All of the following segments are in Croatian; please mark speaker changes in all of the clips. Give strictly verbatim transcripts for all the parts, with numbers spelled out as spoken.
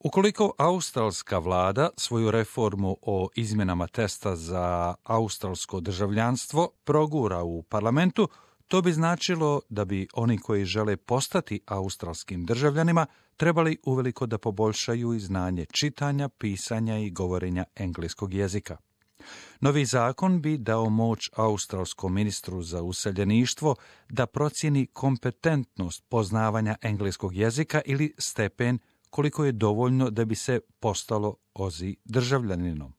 Speaker 1: Ukoliko australska vlada svoju reformu o izmjenama testa za australsko državljanstvo progura u parlamentu, to bi značilo da bi oni koji žele postati australskim državljanima trebali uveliko da poboljšaju i znanje čitanja, pisanja i govorenja engleskog jezika. Novi zakon bi dao moć australskom ministru za useljeništvo da procjeni kompetentnost poznavanja engleskog jezika ili stepen koliko je dovoljno da bi se postalo Ozi državljaninom.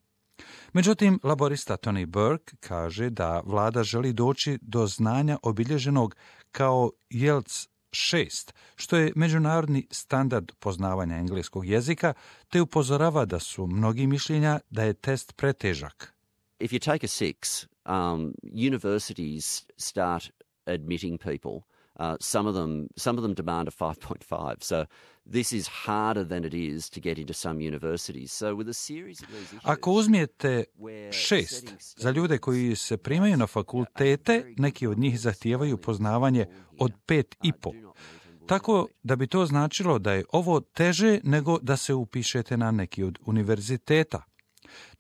Speaker 1: Međutim, laborista Tony Burke kaže da vlada želi doći do znanja obilježenog kao I E L T S šest, što je međunarodni standard poznavanja engleskog jezika, te upozorava da su mnogi mišljenja da je test pretežak.
Speaker 2: If you take a six, um, universities start admitting people. Uh, some of them, some of them demand a five point five. So this is harder than it is to get into some universities. So with a series of these issues,
Speaker 1: ako uzmijete šest za ljude koji se primaju na fakultete, neki od njih zahtijevaju poznavanje od pet i po. Tako da bi to značilo da je ovo teže nego da se upišete na neki od univerziteta.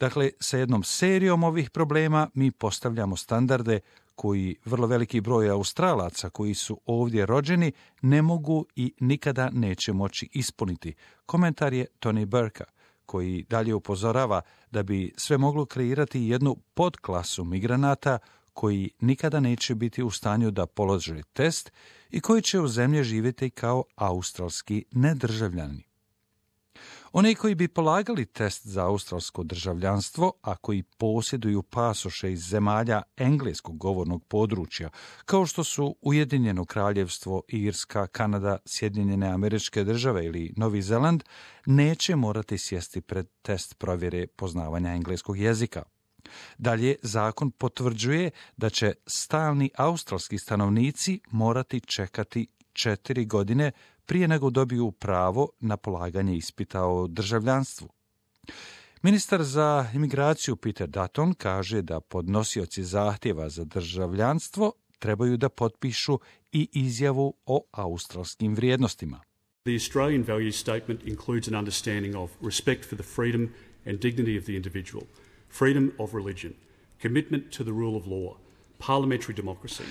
Speaker 1: Dakle, sa jednom serijom ovih problema mi postavljamo standarde koji vrlo veliki broj Australaca koji su ovdje rođeni ne mogu i nikada neće moći ispuniti. Komentar je Tony Burka, koji dalje upozorava da bi sve moglo kreirati jednu podklasu migranata koji nikada neće biti u stanju da polože test i koji će u zemlji živjeti kao australski nedržavljani. Oni koji bi polagali test za australsko državljanstvo, a koji posjeduju pasoše iz zemalja engleskog govornog područja, kao što su Ujedinjeno kraljevstvo, Irska, Kanada, Sjedinjene Američke Države ili Novi Zeland, neće morati sjesti pred test provjere poznavanja engleskog jezika. Dalje, zakon potvrđuje da će stalni australski stanovnici morati čekati četiri godine prije nego dobiju pravo na polaganje ispita o državljanstvu. Ministar za imigraciju Peter Dutton kaže da podnosioci zahtjeva za državljanstvo trebaju da potpišu i izjavu o australskim vrijednostima.
Speaker 3: The Australian values statement includes an understanding of respect for the freedom and dignity of the individual, freedom of religion, commitment to the rule of law, parliamentary democracy.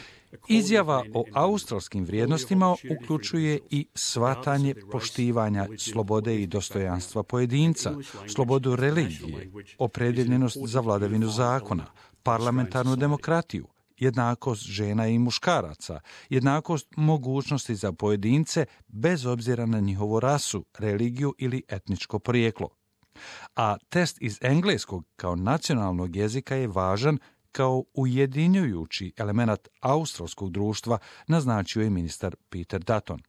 Speaker 1: Izjava o australskim vrijednostima uključuje i shvatanje poštivanja slobode i dostojanstva pojedinca, slobodu religije, opredjeljenost za vladavinu zakona, parlamentarnu demokratiju, jednakost žena i muškaraca, jednakost mogućnosti za pojedince bez obzira na njihovu rasu, religiju ili etničko porijeklo. A test iz engleskog kao nacionalnog jezika je važan kao ujedinjujući element australskog društva, naznačio je ministar Peter Dutton.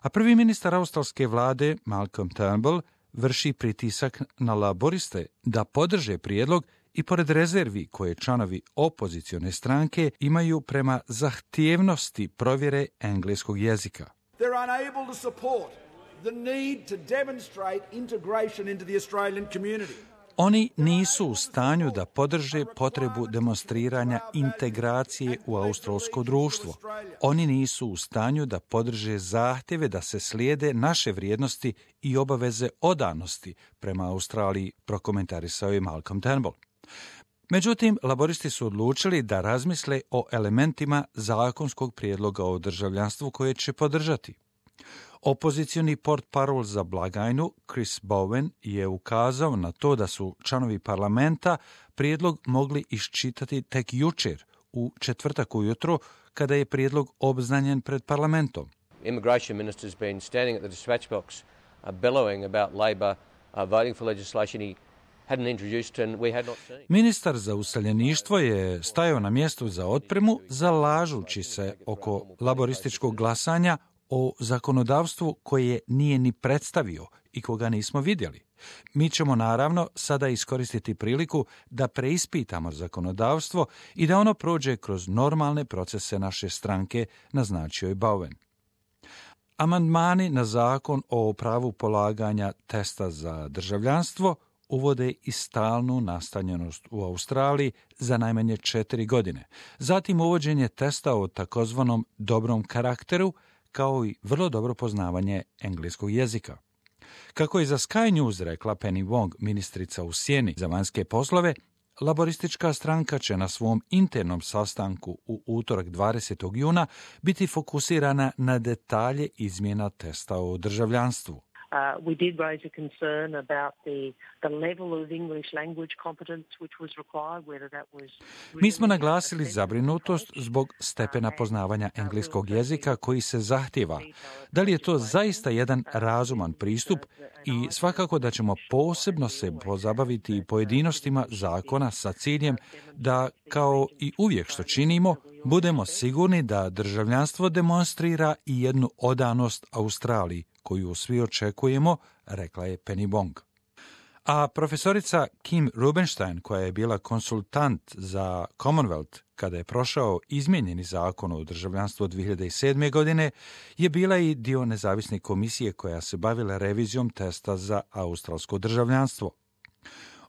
Speaker 1: A prvi ministar australske vlade, Malcolm Turnbull, vrši pritisak na laboriste da podrže prijedlog i pored rezervi koje članovi opozicione stranke imaju prema zahtjevnosti provjere engleskog jezika.
Speaker 4: They're unable to support the need to demonstrate integration into the Australian community.
Speaker 1: Oni nisu u stanju da podrže potrebu demonstriranja integracije u australsko društvo. Oni nisu u stanju da podrže zahtjeve da se slijede naše vrijednosti i obaveze odanosti prema Australiji, prokomentarisao je Malcolm Turnbull. Međutim, laboristi su odlučili da razmisle o elementima zakonskog prijedloga o državljanstvu koje će podržati. Opozicioni portparol za blagajnu Chris Bowen je ukazao na to da su članovi parlamenta prijedlog mogli iščitati tek jučer, u četvrtak ujutro, kada je prijedlog obznanjen pred parlamentom.
Speaker 5: Immigration minister's been standing at the dispatch box uh, bellowing about Labor uh, voting for legislation he hadn't introduced and we had not seen.
Speaker 1: Ministar za useljeništvo je stajao na mjestu za otpremu, zalažući se oko laborističkog glasanja o zakonodavstvu koje nije ni predstavio i koga nismo vidjeli. Mi ćemo naravno sada iskoristiti priliku da preispitamo zakonodavstvo i da ono prođe kroz normalne procese naše stranke, naznačio je Bowen. Amandmani na zakon o pravu polaganja testa za državljanstvo uvode i stalnu nastanjenost u Australiji za najmanje četiri godine. Zatim uvođenje testa o takozvanom dobrom karakteru, kao i vrlo dobro poznavanje engleskog jezika. Kako je za Sky News rekla Penny Wong, ministrica u sjeni za vanjske poslove, laboristička stranka će na svom internom sastanku u utorak dvadesetog juna biti fokusirana na detalje izmjena testa o državljanstvu.
Speaker 6: Uh, we did raise a concern about the, the level of English language competence which was required, whether that was...
Speaker 1: Mi smo naglasili zabrinutost zbog stepena poznavanja engleskog jezika koji se zahtjeva. Da li je to zaista jedan razuman pristup i svakako da ćemo posebno se pozabaviti pojedinostima zakona sa ciljem da, kao i uvijek što činimo, budemo sigurni da državljanstvo demonstrira i jednu odanost Australiji, koju svi očekujemo, rekla je Penny Wong. A profesorica Kim Rubenstein, koja je bila konsultant za Commonwealth kada je prošao izmijenjeni zakon o državljanstvu od dvije hiljade sedme. godine, je bila i dio nezavisne komisije koja se bavila revizijom testa za australsko državljanstvo.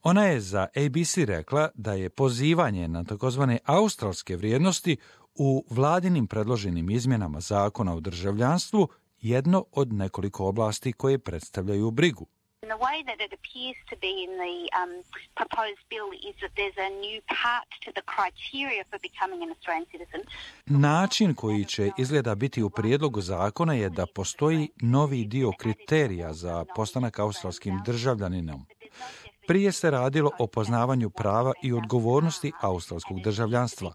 Speaker 1: Ona je za A B C rekla da je pozivanje na takozvane australske vrijednosti u vladinim predloženim izmjenama zakona o državljanstvu jedno od nekoliko oblasti koje predstavljaju brigu.
Speaker 7: The way that it appears to be in the um, proposed bill is that there's a new part to the criteria for becoming an Australian citizen.
Speaker 1: Način koji će izgleda biti u prijedlogu zakona je da postoji novi dio kriterija za postanak australskim državljaninom. Prije se radilo o poznavanju prava i odgovornosti australskog državljanstva.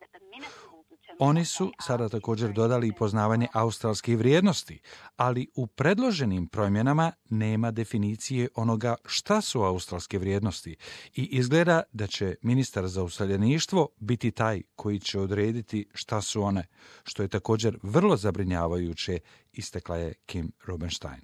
Speaker 1: Oni su sada također dodali poznavanje australskih vrijednosti, ali u predloženim promjenama nema definicije onoga šta su australske vrijednosti i izgleda da će ministar za useljeništvo biti taj koji će odrediti šta su one, što je također vrlo zabrinjavajuće, istakla je Kim Rubenstein.